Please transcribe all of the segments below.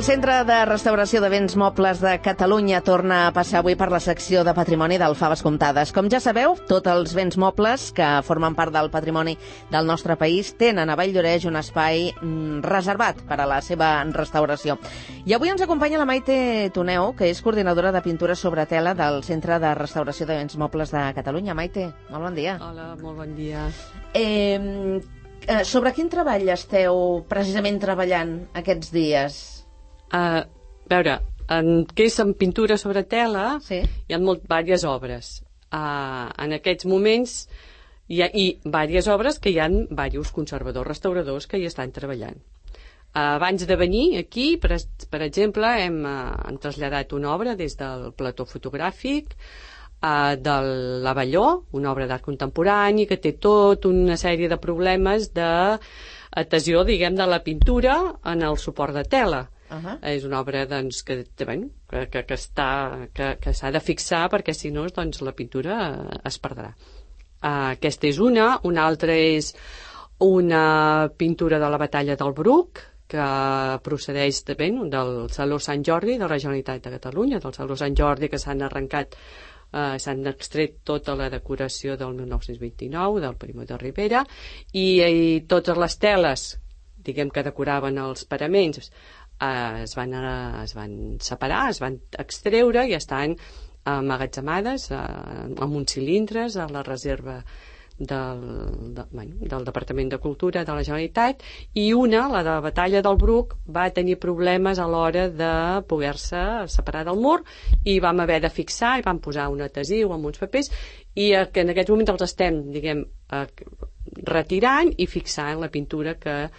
El Centre de Restauració de Béns Mobles de Catalunya torna a passar avui per la secció de patrimoni del Faves Comptades. Com ja sabeu, tots els béns mobles que formen part del patrimoni del nostre país tenen a Valldoreix un espai reservat per a la seva restauració. I avui ens acompanya la Maite Toneu, que és coordinadora de pintura sobre tela del Centre de Restauració de Béns Mobles de Catalunya. Maite, molt bon dia. Hola, molt bon dia. Sobre quin treball esteu precisament treballant aquests dies? A veure, què és en pintura sobre tela, Sí. hi ha diverses obres. En aquests moments hi ha diverses obres que hi ha diversos conservadors, restauradors que hi estan treballant. Abans de venir aquí, per exemple, hem traslladat una obra des del plató fotogràfic de l'Avelló, una obra d'art contemporani que té tota una sèrie de problemes d'adhesió, diguem, de la pintura en el suport de tela. És una obra doncs, que s'ha de fixar perquè si no doncs, la pintura es perdrà. Aquesta és una altra és una pintura de la batalla del Bruc que procedeix del Saló Sant Jordi de la Generalitat de Catalunya, del Saló Sant Jordi, que s'han arrencat, s'han extret tota la decoració del 1929 del Primo de Rivera i totes les teles, diguem, que decoraven els paraments es van separar, es van extreure i estan emmagatzemades en uns cilindres a la reserva del Departament de Cultura de la Generalitat, i la de la batalla del Bruc, va tenir problemes a l'hora de poder-se separar del mur i vam haver de fixar i vam posar un adhesiu amb uns papers i que en aquests moments els estem, diguem, retirant i fixant la pintura que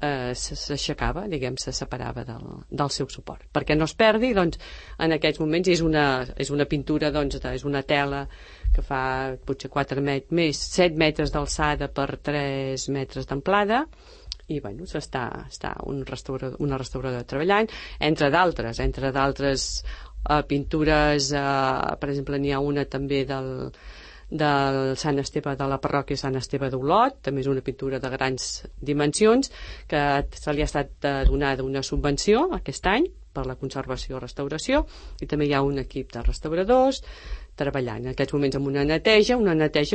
s'aixecava, diguem, se separava del seu suport. Perquè no es perdi, doncs, en aquests moments és una pintura, doncs, és una tela que fa potser 7 metres d'alçada per 3 metres d'amplada i, bueno, està una restauradora treballant, entre d'altres pintures, per exemple, n'hi ha una també del Sant Esteve, de la parròquia Sant Esteve d'Olot, també és una pintura de grans dimensions, que se li ha estat donada una subvenció aquest any per la conservació i restauració, i també hi ha un equip de restauradors treballant en aquests moments amb una neteja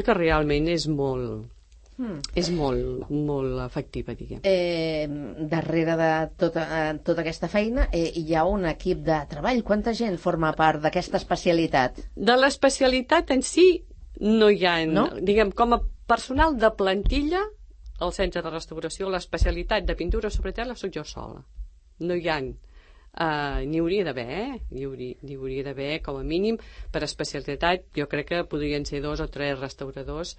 que realment és molt efectiva, diguem. Darrere de tota aquesta feina hi ha un equip de treball. Quanta gent forma part d'aquesta especialitat? De l'especialitat en si no hi ha, no? Diguem, com a personal de plantilla al centre de restauració, l'especialitat de pintura sobre tela soc jo sola. No hi ha, n'hi hauria d'haver, n'hi hauria d'haver com a mínim per especialitat. Jo crec que podrien ser 2 o 3 restauradors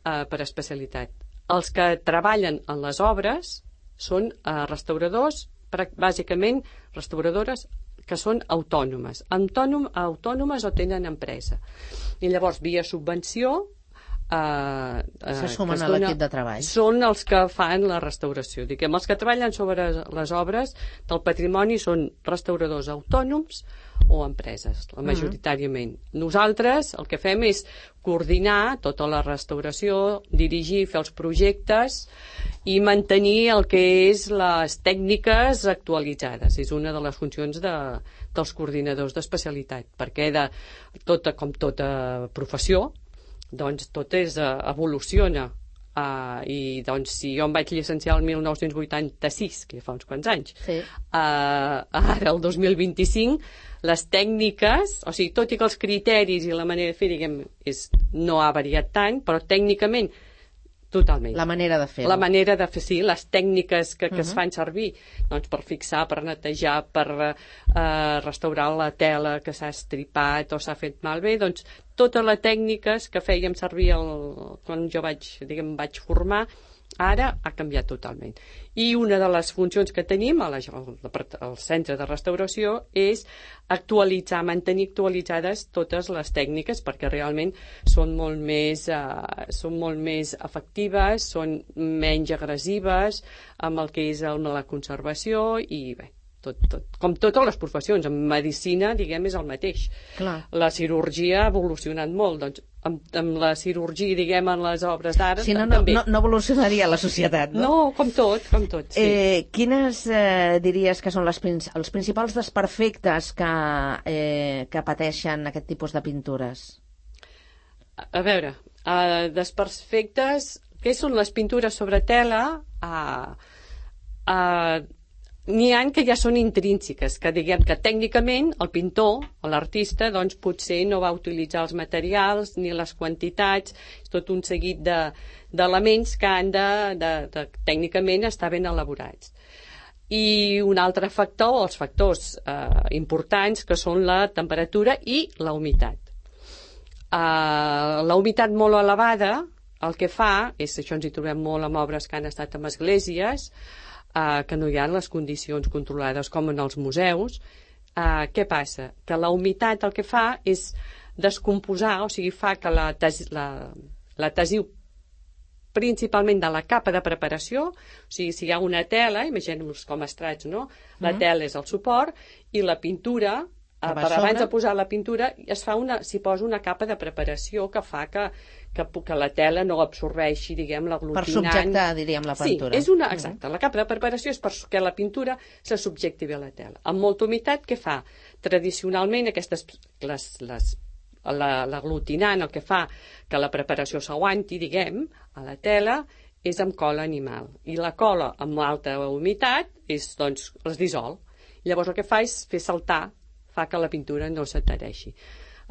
per especialitat. Els que treballen en les obres són restauradors, bàsicament restauradores que són autònomes o tenen empresa, i llavors via subvenció se sumen a l'equip de treball. Són els que fan la restauració, diguem, els que treballen sobre les obres del patrimoni són restauradors autònoms o empreses, majoritàriament. Nosaltres el que fem és coordinar tota la restauració, dirigir, fer els projectes i mantenir el que és les tècniques actualitzades. És una de les funcions dels coordinadors d'especialitat, perquè com tota professió, doncs tot evoluciona. I doncs si jo em vaig llicenciar el 1986, que ja fa uns quants anys, sí. Ara el 2025 les tècniques, o sigui, tot i que els criteris i la manera de fer, diguem, no ha variat tant, però tècnicament totalment. La manera de fer. La manera de fer, sí, les tècniques que es fan servir, doncs, per fixar, per netejar, per restaurar la tela que s'ha estripat o s'ha fet malbé, doncs totes les tècniques que fèiem servir quan jo vaig formar, ara ha canviat totalment. I una de les funcions que tenim al centre de restauració és mantenir actualitzades totes les tècniques, perquè realment són molt més efectives, són menys agressives amb el que és la conservació, i bé, Com totes les professions. En medicina, diguem, és el mateix. Clar. La cirurgia ha evolucionat molt, doncs amb la cirurgia, diguem, en les obres d'art, si no, també. No evolucionaria la societat, no? No, com tot, sí. Quines diries que són els principals desperfectes que pateixen aquest tipus de pintures? A veure, desperfectes, què són les pintures sobre tela? N'hi ha que ja són intrínseques, que diguem que tècnicament el pintor o l'artista doncs potser no va utilitzar els materials ni les quantitats, és tot un seguit d'elements que han de tècnicament estar ben elaborats. I un altre factor, els factors importants, que són la temperatura i la humitat. La humitat molt elevada el que fa, això ens hi trobem molt amb obres que han estat en esglésies, que no hi ha les condicions controlades com en els museus. Què passa? Que la humitat el que fa és descomposar, o sigui, fa que l'adhesiu principalment de la capa de preparació, o sigui, si hi ha una tela, imaginem-nos com estrats, no? La tela és el suport i la pintura, abans de posar la pintura, s'hi posa una capa de preparació que fa que la tela no absorbeixi, diguem, l'aglutinant. Per subjectar, diríem, la pintura. Sí, exacte. La capa de preparació és perquè la pintura se subjecti bé a la tela. Amb molta humitat, què fa? Tradicionalment, l'aglutinant, el que fa que la preparació s'aguanti, diguem, a la tela, és amb cola animal. I la cola amb alta humitat doncs, es dissol. Llavors el que fa és fer saltar, fa que la pintura no s'adhereixi.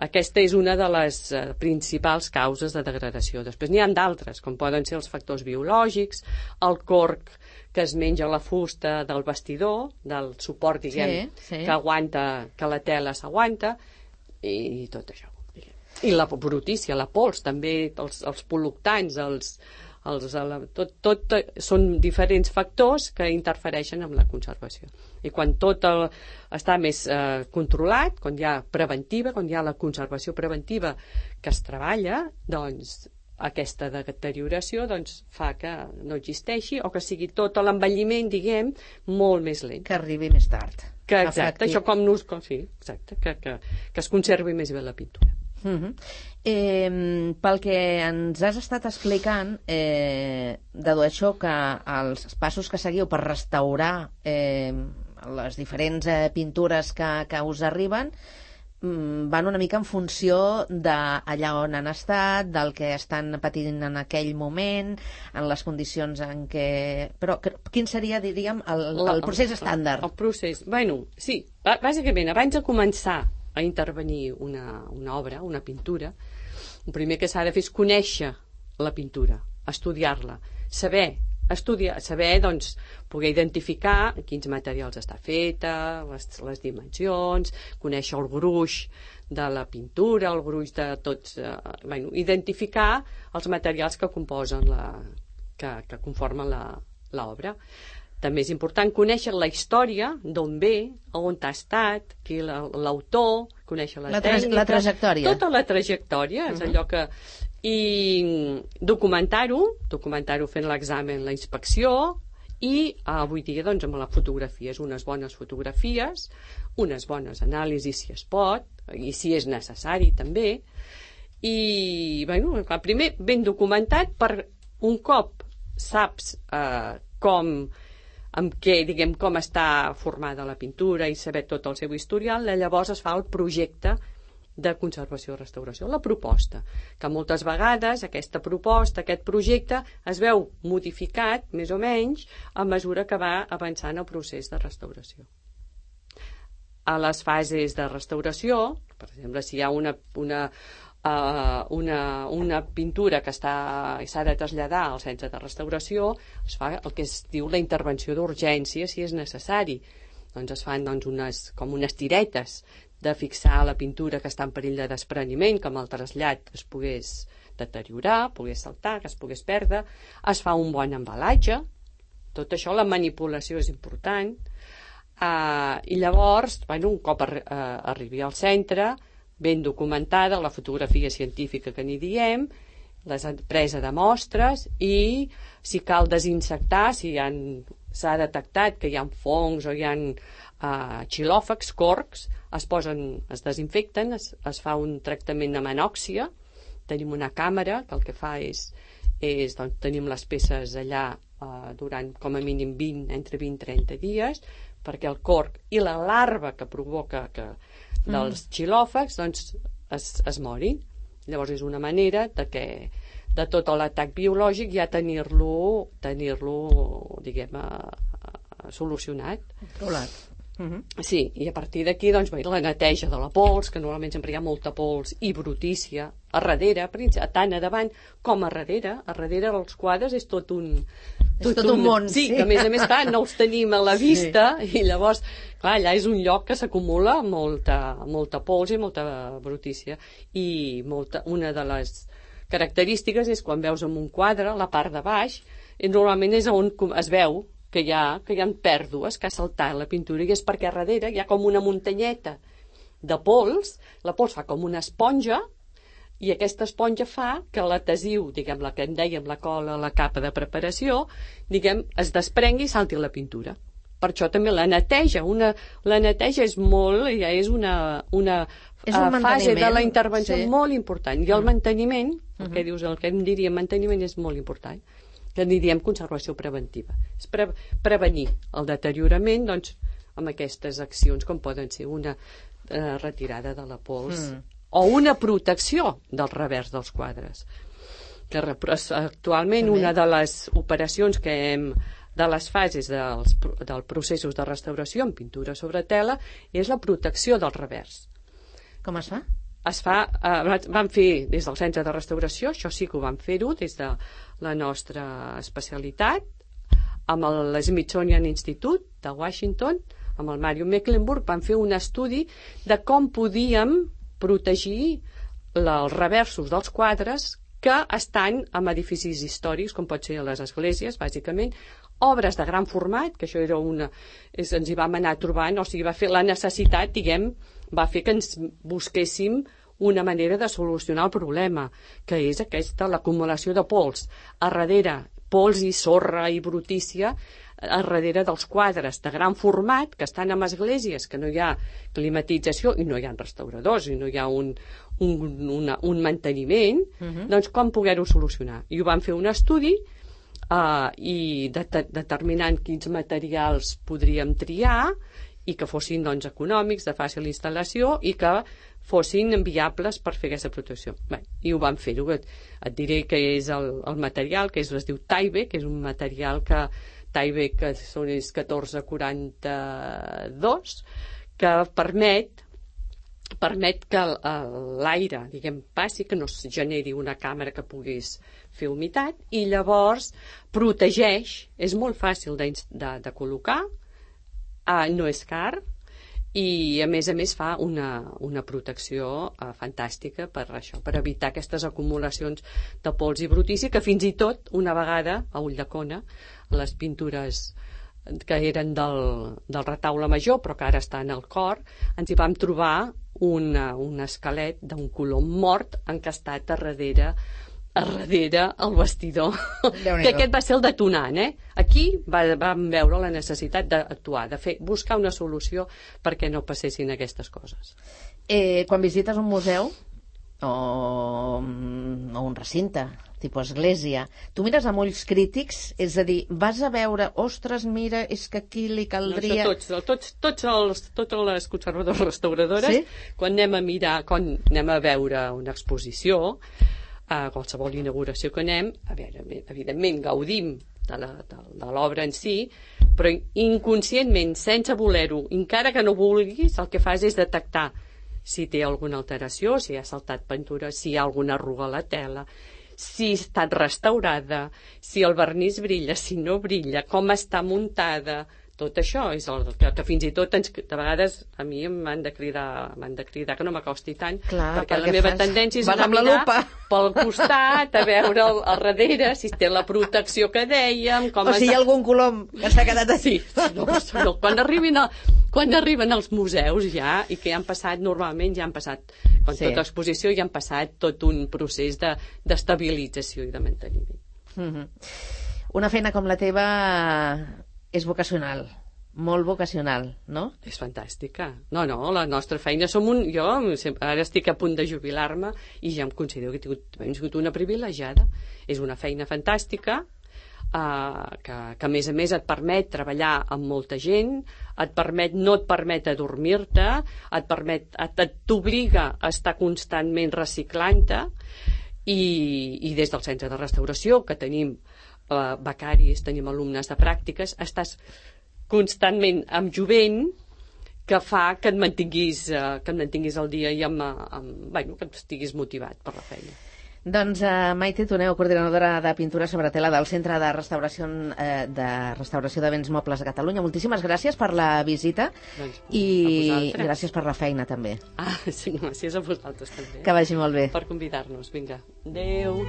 Aquesta és una de les principals causes de degradació. Després n'hi ha d'altres, com poden ser els factors biològics, el corc que es menja la fusta del vestidor, del suport, diguem, que aguanta, que la tela s'aguanta, i tot això. I la brutícia, la pols, també, els pol·luctants, tot són diferents factors que interfereixen amb la conservació. I quan tot està més controlat, quan hi ha preventiva, quan hi ha la conservació preventiva que es treballa, doncs aquesta deterioració fa que no existeixi o que sigui tot l'envelliment, diguem, molt més lent. Que arribi més tard. Exacte, això que es conservi més bé la pintura. Pel que ens has estat explicant, dedueixo que els passos que seguiu per restaurar les diferents pintures que us arriben van una mica en funció d'allà on han estat, del que estan patint en aquell moment, en les condicions en què... Però quin seria, diríem, el procés estàndard? El procés, sí, bàsicament, abans de començar a intervenir una obra, una pintura, el primer que s'ha de fer és conèixer la pintura, estudiar-la, saber, doncs, poder identificar quins materials està feta, les dimensions, conèixer el gruix de la pintura, el gruix de tots... identificar els materials que composen que conformen l'obra. També és important conèixer la història, d'on ve, on ha estat, qui l'autor, conèixer la tècnica... La trajectòria. Tota la trajectòria, és allò que... I documentar-ho fent l'examen, la inspecció, i avui dia, doncs, amb la fotografia, unes bones fotografies, unes bones anàlisis, si es pot, i si és necessari, també. I, primer, ben documentat, per un cop saps com està formada la pintura i saber tot el seu historial, llavors es fa el projecte de conservació i restauració, la proposta, que moltes vegades aquesta proposta, aquest projecte es veu modificat, més o menys, a mesura que va avançant el procés de restauració. A les fases de restauració, per exemple, si hi ha una pintura que s'ha de traslladar al centre de restauració, es fa el que es diu la intervenció d'urgència si és necessari. Doncs es fan com unes tiretes de fixar la pintura que està en perill de despreniment, que amb el trasllat es pogués deteriorar, pogués saltar, que es pogués perdre. Es fa un bon embalatge. Tot això, la manipulació és important. I llavors, un cop arribi al centre, ben documentada, la fotografia científica que n'hi diem, la presa de mostres i, si cal, desinsectar, si hi ha s'ha detectat que hi ha fongs o hi ha xilòfags, corcs, es desinfecten, es fa un tractament amb anòxia, tenim una càmera que el que fa és doncs, tenim les peces allà durant com a mínim entre 20 i 30 dies, perquè el corc i la larva que provoca dels xilòfags doncs, es morin. Llavors és una manera de tot l'atac biològic ja tenir-lo diguem, solucionat. Controlat. Sí, i a partir d'aquí doncs, la neteja de la pols, que normalment sempre hi ha molta pols i brutícia a darrere, tant a davant com a darrere. A darrere dels quadres és tot un món. Sí, que a més clar, no els tenim a la vista i llavors, clar, allà és un lloc que s'acumula molta pols i molta brutícia. I una de les característiques és quan veus en un quadre, la part de baix, normalment és on es veu que hi ha pèrdues, que ha saltat la pintura, i és perquè a darrere hi ha com una muntanyeta de pols, la pols fa com una esponja, i aquesta esponja fa que l'adhesiu, diguem, la que en dèiem la cola, la capa de preparació, diguem, es desprengui i salti la pintura. Per això també la neteja és molt, ja és una fase de la intervenció molt important, i el manteniment, el que em diríem manteniment és molt important, que en diríem conservació preventiva. És prevenir el deteriorament doncs, amb aquestes accions com poden ser una retirada de la pols o una protecció del revers dels quadres. Que actualment una de les operacions de les fases dels processos de restauració en pintura sobre tela és la protecció del revers. Com es fa? Vam fer des del Centre de Restauració, això sí que ho vam fer-ho des de la nostra especialitat, amb l'Smithsonian Institute de Washington, amb el Mario Mecklenburg, vam fer un estudi de com podíem protegir els reversos dels quadres que estan en edificis històrics, com pot ser a les esglésies, bàsicament, obres de gran format, que això era ens hi vam anar trobant, o sigui, va fer la necessitat, diguem, va fer que ens busquéssim una manera de solucionar el problema, que és l'acumulació de pols. A darrere, pols i sorra i brutícia, a darrere dels quadres de gran format, que estan en esglésies, que no hi ha climatització i no hi ha restauradors i no hi ha un manteniment, doncs com poder-ho solucionar? I ho vam fer un estudi i determinant quins materials podríem triar i que fossin doncs, econòmics, de fàcil instal·lació i que fossin viables per fer aquesta protecció. Bé, i ho vam fer-ho. Et diré que és el material, que es diu Tyvek, que és un material que Tyvek és 1442, que permet que l'aire, diguem, passi, que no es generi una càmera que puguis fer humitat, i llavors protegeix, és molt fàcil de col·locar, no és car, i a més fa una protecció fantàstica per això, per evitar aquestes acumulacions de pols i brutícia, que fins i tot una vegada a Ulldecona, les pintures que eren del retaule major però que ara està en el cor, ens hi vam trobar un esquelet d'un colom mort encastat a darrere el vestidor, que aquest va ser el detonant. Aquí vam veure la necessitat d'actuar, buscar una solució perquè no passessin aquestes coses. Quan visites un museu o un recinte, tipus església, tu mires amb ulls crítics, és a dir, vas a veure, ostres, mira, és que aquí li caldria... Totes les conservadores restauradores, quan anem a veure una exposició, a qualsevol inauguració que anem, evidentment gaudim de l'obra en si, però inconscientment, sense voler-ho, encara que no vulguis, el que fas és detectar si té alguna alteració, si ha saltat pintura, si hi ha alguna arruga a la tela, si ha estat restaurada, si el vernís brilla, si no brilla, com està muntada. Tot això és el que fins i tot de vegades a mi m'han de cridar que no m'acosti tant, perquè la meva tendència és anar a mirar pel costat, a veure al darrere si té la protecció que dèiem, o si hi ha algun colom que s'ha quedat així. Quan arriben als museus ja, i que normalment ja han passat, com tota exposició, ja han passat tot un procés d'estabilització i de manteniment. Una feina com la teva és vocacional, molt vocacional, no? És fantàstica. No, la nostra feina som jo ara estic a punt de jubilar-me i ja em considero que he tingut una privilegiada. És una feina fantàstica, que a més et permet treballar amb molta gent, no et permet adormir-te, t'obliga a estar constantment reciclant-te, i des del centre de restauració, que tenim becaris, tenim alumnes de pràctiques, estàs constantment amb jovent, que fa que et mantinguis al dia i que estiguis motivat per la feina. Doncs Maite Toneu, coordinadora de pintura sobre tela del Centre de Restauració de Béns Mobles de Catalunya, moltíssimes gràcies per la visita i gràcies per la feina també. Sí, gràcies a vosaltres també. Que vagi molt bé. Per convidar-nos, vinga. Adéu.